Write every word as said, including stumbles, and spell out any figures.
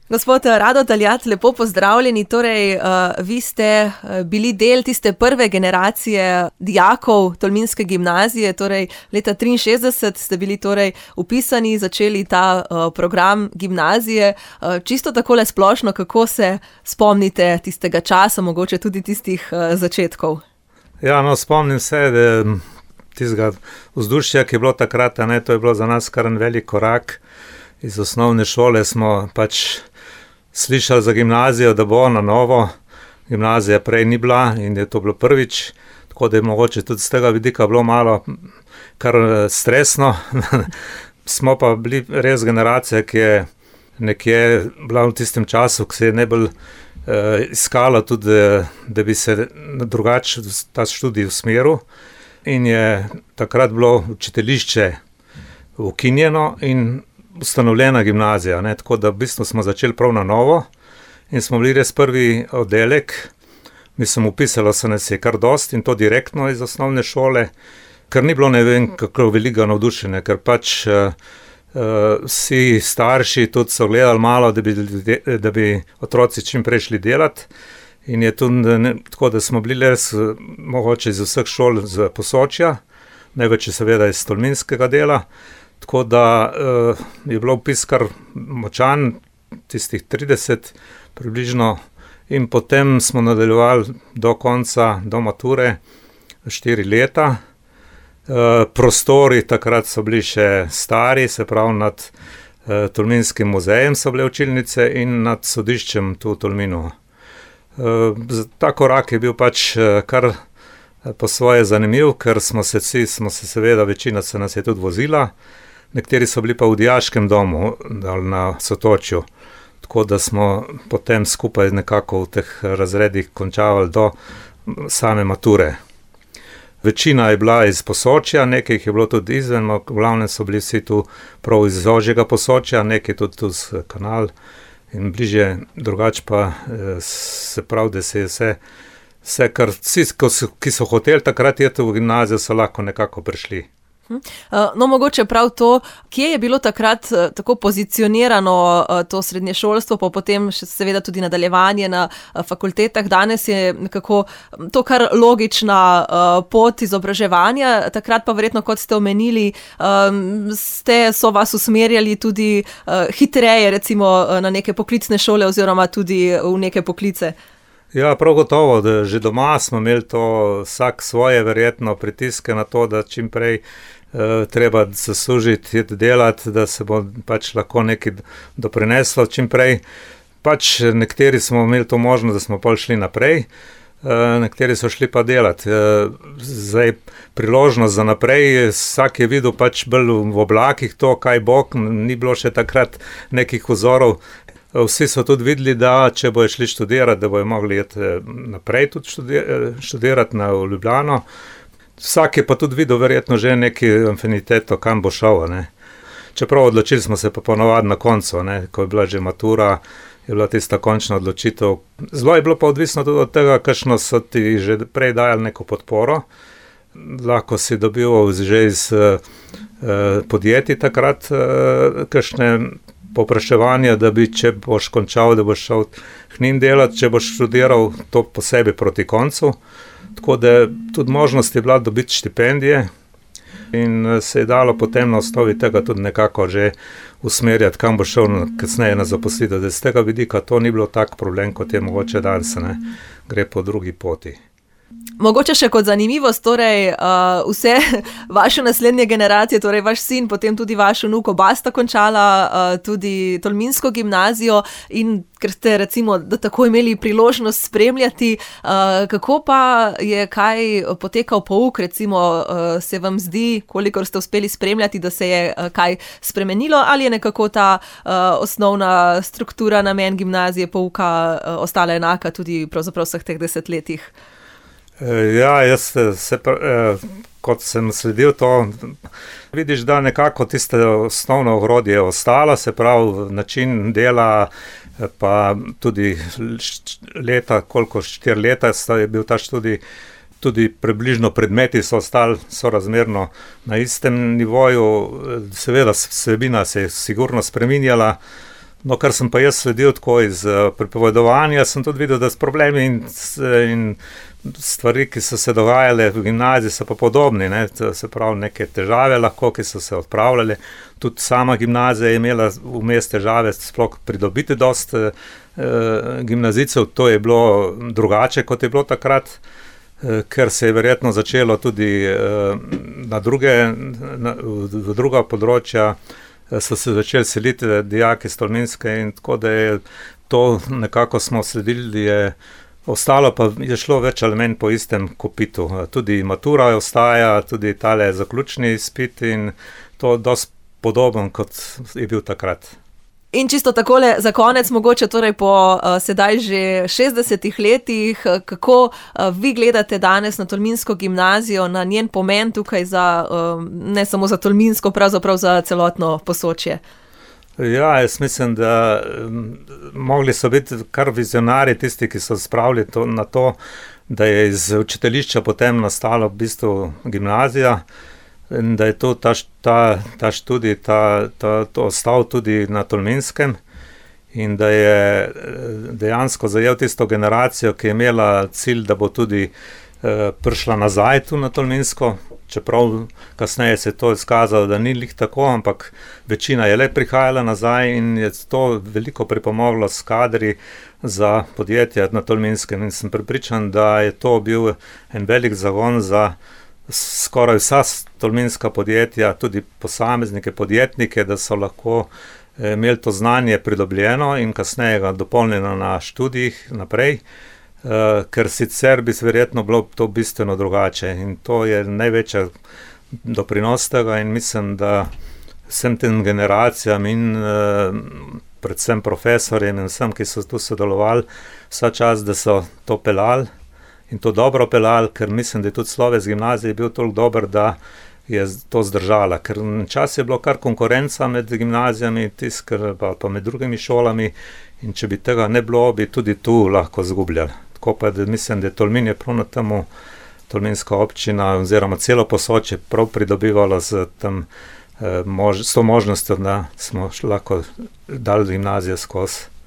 Gospod Rado Taljat, lepo pozdravljeni. Torej, uh, vi ste uh, bili del tiste prve generacije dijakov Tolminske gimnazije, torej leta triinšestdeset ste bili torej vpisani, začeli ta uh, program gimnazije. Uh, čisto takole splošno, kako se spomnite tistega časa, mogoče tudi tistih uh, začetkov? Ja, no, spomnim se, da tistega vzdušja, ki je bilo takrat, ne, to je bilo za nas kar en velik korak. Iz osnovne šole smo pač slišali za gimnazijo, da bo na novo. Gimnazija prej ni bila in je to bilo prvič, tako da je mogoče tudi z tega vidika bilo malo kar stresno. Smo pa bili res generacija, ki je nekje bila v tistem času, ki se je najbolj eh, iskala tudi, da bi se drugače ta študij usmeril. In je takrat bilo učiteljišče ukinjeno in ustanovljena gimnazija, ne, tako da v bistvu smo začeli prav na novo in smo bili res prvi oddelek. Mislim, upisalo se nas je kar dosti in to direktno iz osnovne šole, ker ni bilo ne vem kako veliko navdušenja, ker pač uh, uh, vsi starši tudi so gledali malo, da bi, da bi otroci čim prej šli delati. In je tudi ne, tako, da smo bili res mogoče iz vseh šol z Posočja, največ je seveda iz tolminskega dela. Tako da uh, je bilo vpis kar močan, tistih trideset približno, in potem smo nadaljevali do konca, do mature, štiri leta. Uh, prostori takrat so bili še stari, se pravi nad uh, Tolminskim muzejem so bile učilnice in nad sodiščem tu v Tolminu. Uh, ta korak je bil pač uh, kar po svoje zanimiv, ker smo se vsi, smo se seveda, večina se nas je tudi vozila. Nekateri so bili pa v dijaškem domu na Sotočju, tako da smo potem skupaj nekako v teh razredih končavali do same mature. Večina je bila iz Posočja, nekaj jih je bilo tudi izven, v glavnem so bili vsi tu prav iz ožjega Posočja, nekaj tudi tu z Kanal in bliže, drugače pa se pravi, da se je vse, vse kar vsi, ki so hoteli takrat jeti v gimnazijo, so lahko nekako prišli. No, mogoče prav to, kje je bilo takrat tako pozicionirano to srednješolstvo, pa potem še seveda tudi nadaljevanje na fakultetah. Danes je nekako to kar logična pot izobraževanja, takrat pa verjetno, kot ste omenili, ste, so vas usmerjali tudi hitreje recimo na neke poklicne šole oziroma tudi v neke poklice. Ja, prav gotovo, da že doma smo imeli to vsak svoje verjetno pritiske na to, da čim prej eh, treba zaslužiti, delati, da se bo pač lahko nekaj doprineslo čim prej. Pač nekateri smo imeli to možnost, da smo pol šli naprej, eh, nekateri so šli pa delati. Eh, zdaj priložnost za naprej, vsak je videl pač bolj v oblakih to, kaj bo, ni bilo še takrat nekih vzorov. Vsi so tudi videli, da če bojo šli študirati, da bojo mogli iti naprej tudi študirati na Ljubljano. Vsak je pa tudi videl verjetno že neki afiniteto, kam bo šel. Ne. Čeprav odločili smo se pa ponovadi na koncu, ne. Ko je bila že matura, je bila tista končna odločitev. Zelo je bilo pa odvisno tudi od tega, kakšno so ti že prej dajali neko podporo. Lahko si dobival že iz uh, podjetij takrat uh, kakšne popraševanja, da bi, če boš končal, da boš šel k njim delati, če boš študiral to posebej proti koncu. Tako da tudi možnost je bila dobiti štipendije in se je dalo potem na osnovi tega tudi nekako že usmerjati, kam bo šel kasneje na zaposlitev. Da z tega vidika to ni bilo tak problem, kot je mogoče danes, ne, gre po drugi poti. Mogoče še kot zanimivost, torej uh, vse vaše naslednje generacije, torej vaš sin, potem tudi vaš vnuk, oba sta končala uh, tudi Tolminsko gimnazijo in ker ste recimo da tako imeli priložnost spremljati, uh, kako pa je kaj potekal pouk, recimo uh, se vam zdi, kolikor ste uspeli spremljati, da se je uh, kaj spremenilo ali je nekako ta uh, osnovna struktura, namen gimnazije, pouka uh, ostala enaka tudi pravzaprav vseh teh desetletjih? Ja, jaz se, kot sem sledil to, vidiš, da nekako tiste osnovno ogrodje je ostalo, se pravi način dela, pa tudi leta, koliko štiri leta je bil ta študij, tudi približno predmeti so ostali sorazmerno na istem nivoju, seveda vsebina se je sigurno spreminjala, No, kar sem pa jaz sledil tako iz uh, pripovedovanja, sem tudi videl, da s problemi in, in stvari, ki so se dogajale v gimnaziji, so pa podobni, ne? To se pravi neke težave lahko, ki so se odpravljale. Tudi sama gimnazija je imela vmes težave, sploh pridobiti dost uh, gimnazijcev, to je bilo drugače, kot je bilo takrat, uh, ker se je verjetno začelo tudi uh, na druge, na, v, v druga področja, so se začeli seliti dijaki iz Tolminske in tako, da je to nekako smo sledili, je ostalo pa je šlo več ali manj po istem kopitu. Tudi matura ostaja, tudi tale zaključni izpit in to dosti podoben, kot je bil takrat. In čisto takole za konec, mogoče torej po uh, sedaj že šestdesetih letih, kako uh, vi gledate danes na Tolminsko gimnazijo, na njen pomen tukaj za, uh, ne samo za Tolminsko, pravzaprav za celotno Posočje? Ja, jaz mislim, da um, mogli so biti kar vizionari tisti, ki so spravili to, na to, da je iz učiteljišča potem nastala v bistvu gimnazija, in da je to ta, ta, ta študij, ta, ta, to ostal tudi na Tolminskem in da je dejansko zajel tisto generacijo, ki je imela cilj, da bo tudi eh, prišla nazaj tu na Tolminsko, čeprav kasneje se je to izkazalo, da ni lih tako, ampak večina je le prihajala nazaj in je to veliko pripomoglo s kadri za podjetja na Tolminskem in sem prepričan, da je to bil en velik zagon za skoraj vsa tolminska podjetja, tudi posameznike, podjetnike, da so lahko imeli to znanje pridobljeno in kasneje ga dopolnjeno na študijih naprej, ker sicer bi verjetno bilo to bistveno drugače in to je največja doprinos tega in mislim, da vsem tem generacijam in predvsem profesorjem in vsem, ki so tu sodelovali, vsa čas, da so to pelali in to dobro pelali, ker mislim, da je tudi sloves gimnazije bil toliko dober, da je to zdržala, ker čas je bilo kar konkurenca med gimnazijami, tisk, pa, pa med drugimi šolami in če bi tega ne bilo, bi tudi tu lahko zgubljali. Tako pa, da mislim, da je Tolmin je prav na temu Tolminska občina oziroma celo Posočje prav pridobivalo z, tem, eh, mož, s to možnostjo, da smo lahko dali gimnazijo skozi.